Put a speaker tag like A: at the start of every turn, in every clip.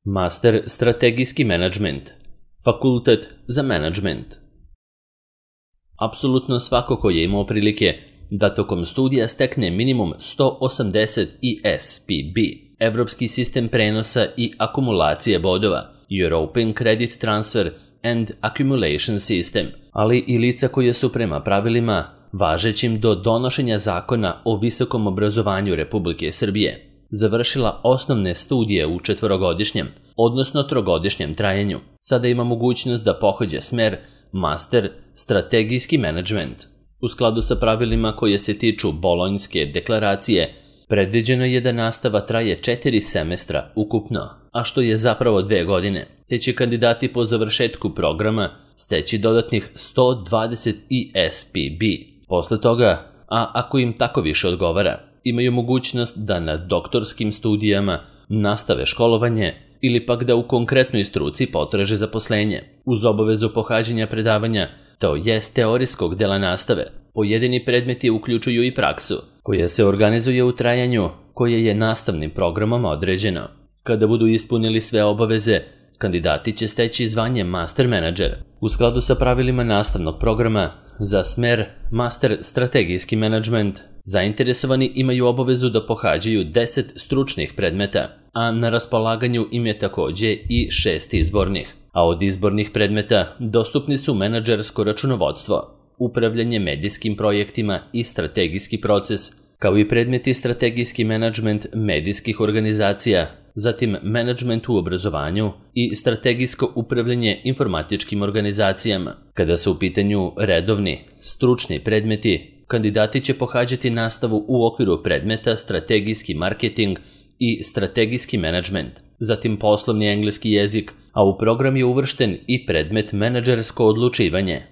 A: Master strategijski menadžment, fakultet za menadžment. Apsolutno svako ko je imao prilike da tokom studija stekne minimum 180 ESPB, Evropski sistem prenosa i akumulacije bodova, European Credit Transfer and Accumulation System, ali i lica koje su prema pravilima važećim do donošenja zakona o visokom obrazovanju Republike Srbije završila osnovne studije u 4-godišnjem, odnosno 3-godišnjem trajanju, sada ima mogućnost da pohađa smer Master strategijski menadžment. U skladu sa pravilima koje se tiču Bolonjske deklaracije, predviđeno je da nastava traje 4 semestra ukupno, a što je zapravo 2 godine, te će kandidati po završetku programa steći dodatnih 120 ESPB. Posle toga, a ako im tako više odgovara, imaju mogućnost da na doktorskim studijama nastave školovanje ili pak da u konkretnoj struci potraže zaposlenje, uz obavezu pohađanja predavanja, to jest teorijskog dela nastave. Pojedini predmeti uključuju i praksu, koja se organizuje u trajanju koje je nastavnim programom određeno. Kada budu ispunili sve obaveze, kandidati će steći zvanje Master Manager. U skladu sa pravilima nastavnog programa, za smer Master strategijski menadžment, zainteresovani imaju obavezu da pohađaju 10 stručnih predmeta, a na raspolaganju im je takođe i 6 izbornih. A od izbornih predmeta dostupni su menadžersko računovodstvo, upravljanje medijskim projektima i strategijski proces, kao i predmeti strategijski menadžment medijskih organizacija, zatim menadžment u obrazovanju i strategijsko upravljanje informatičkim organizacijama. Kada su u pitanju redovni, stručni predmeti, kandidati će pohađati nastavu u okviru predmeta strategijski marketing i strategijski menadžment, zatim poslovni engleski jezik, a u program je uvršten i predmet menadžersko odlučivanje,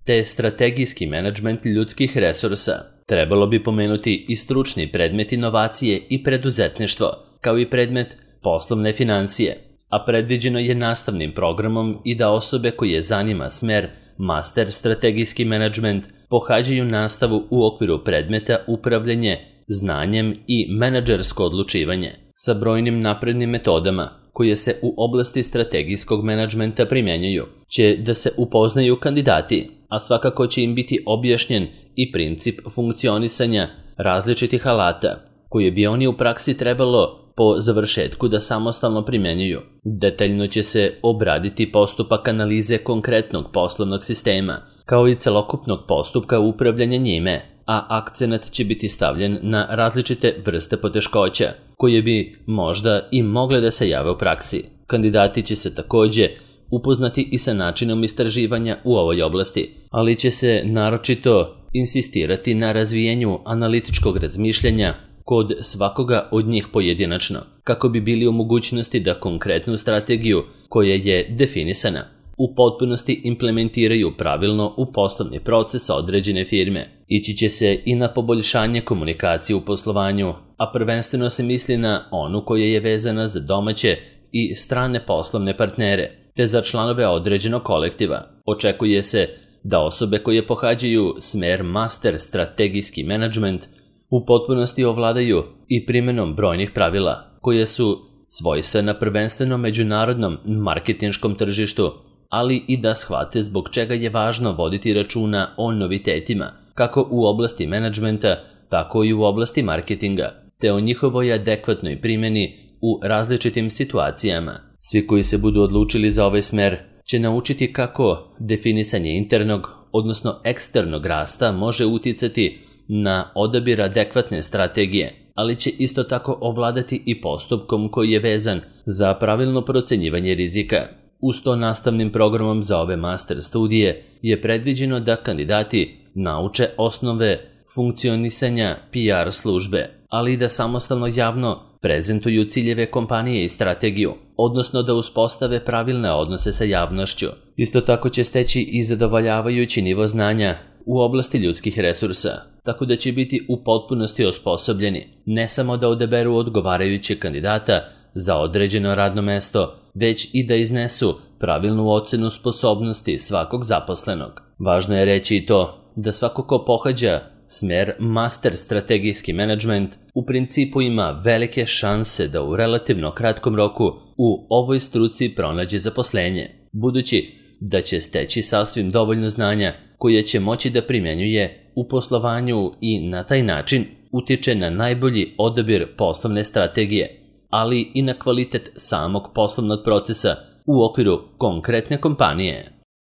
A: te strategijski menadžment ljudskih resursa. Trebalo bi pomenuti i stručni predmet inovacije i preduzetništvo, kao i predmet poslovne financije, a predviđeno je nastavnim programom i da osobe koje zanima smer Master strategijski menadžment pohađaju nastavu u okviru predmeta upravljanje znanjem i menadžersko odlučivanje sa brojnim naprednim metodama koje se u oblasti strategijskog menadžmenta primjenjuju, će da se upoznaju kandidati, a svakako će im biti objašnjen i princip funkcionisanja različitih alata, koje bi oni u praksi trebalo po završetku da samostalno primjenjuju. Detaljno će se obraditi postupak analize konkretnog poslovnog sistema, kao i celokupnog postupka upravljanja njime, a akcenat će biti stavljen na različite vrste poteškoća, koje bi možda i mogle da se jave u praksi. Kandidati će se takođe upoznati i sa načinom istraživanja u ovoj oblasti, ali će se naročito insistirati na razvijenju analitičkog razmišljanja kod svakoga od njih pojedinačno, kako bi bili u mogućnosti da konkretnu strategiju koja je definisana u potpunosti implementiraju pravilno u poslovni proces određene firme. Ići će se i na poboljšanje komunikacije u poslovanju, a prvenstveno se misli na onu koja je vezana za domaće i strane poslovne partnere, te za članove određenog kolektiva. Očekuje se da osobe koje pohađaju smer Master strategijski menadžment u potpunosti ovladaju i primenom brojnih pravila, koje su svojstvena prvenstveno međunarodnom marketinškom tržištu, ali i da shvate zbog čega je važno voditi računa o novitetima, kako u oblasti menadžmenta, tako i u oblasti marketinga, te o njihovoj adekvatnoj primjeni u različitim situacijama. Svi koji se budu odlučili za ovaj smer će naučiti kako definisanje internog, odnosno eksternog rasta može uticati na odabir adekvatne strategije, ali će isto tako ovladati i postupkom koji je vezan za pravilno procenjivanje rizika. Uz to nastavnim programom za ove master studije je predviđeno da kandidati nauče osnove funkcionisanja PR službe, ali i da samostalno javno prezentuju ciljeve kompanije i strategiju, odnosno da uspostave pravilne odnose sa javnošću. Isto tako će steći i zadovoljavajući nivo znanja u oblasti ljudskih resursa, tako da će biti u potpunosti osposobljeni ne samo da odaberu odgovarajućeg kandidata za određeno radno mesto, već i da iznesu pravilnu ocenu sposobnosti svakog zaposlenog. Važno je reći i to da svako ko pohađa Smer Master strategijski menadžment u principu ima velike šanse da u relativno kratkom roku u ovoj struci pronađe zaposlenje, budući da će steći sasvim dovoljno znanja koje će moći da primjenjuje u poslovanju i na taj način utiče na najbolji odabir poslovne strategije, ali i na kvalitet samog poslovnog procesa u okviru konkretne kompanije.